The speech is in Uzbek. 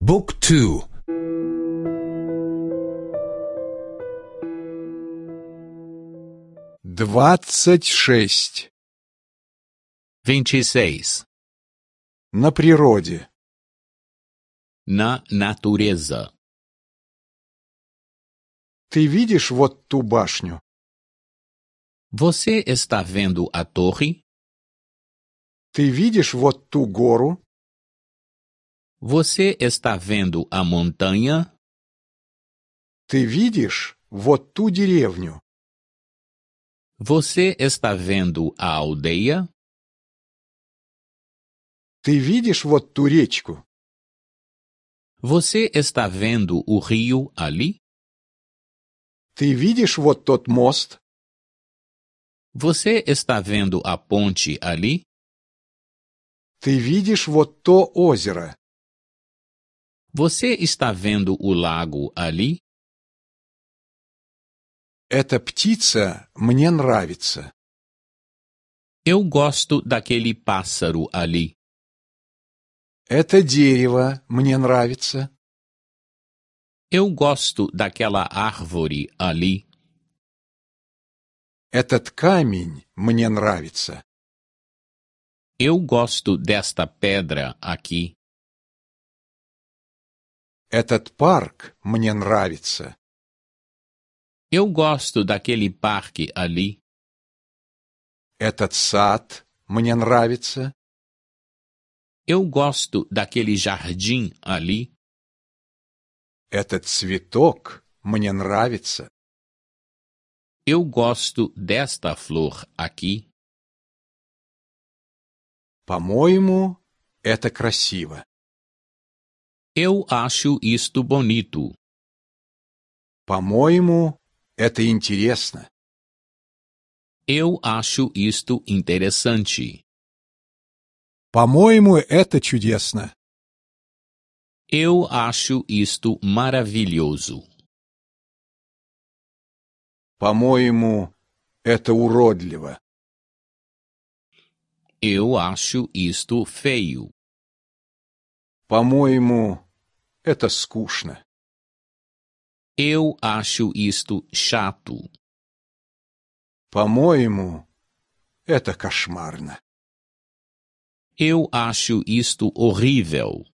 บุ๊กทู 26. 26. На природе. Na natureza. Ты видишь вот ту башню? Você está vendo a torre? Ты видишь вот ту гору? Você está vendo a montanha? Ты видишь вот ту деревню? Você está vendo a aldeia? Ты видишь вот ту речку? Você está vendo o rio ali? Ты видишь вот тот мост? Você está vendo a ponte ali? Ты видишь вот то озеро? Você está vendo o lago ali? Эта птица мне нравится. Eu gosto daquele pássaro ali. Это дерево мне нравится. Eu gosto daquela árvore ali. Этот камень мне нравится. Eu gosto desta pedra aqui. Этот парк мне нравится. Eu gosto daquele parque ali. Этот сад мне нравится. Eu gosto daquele jardim ali. Этот цветок мне нравится. Eu gosto desta flor aqui. По-моему, это красиво. Eu acho isto bonito. По-моему, это интересно. Eu acho isto interessante. По-моему, это чудесно. Eu acho isto maravilhoso. По-моему, это уродливо. Eu acho isto feio. По-моему, это скучно. Eu acho isto chato. По-моему, это кошмарно. Eu acho isto horrível.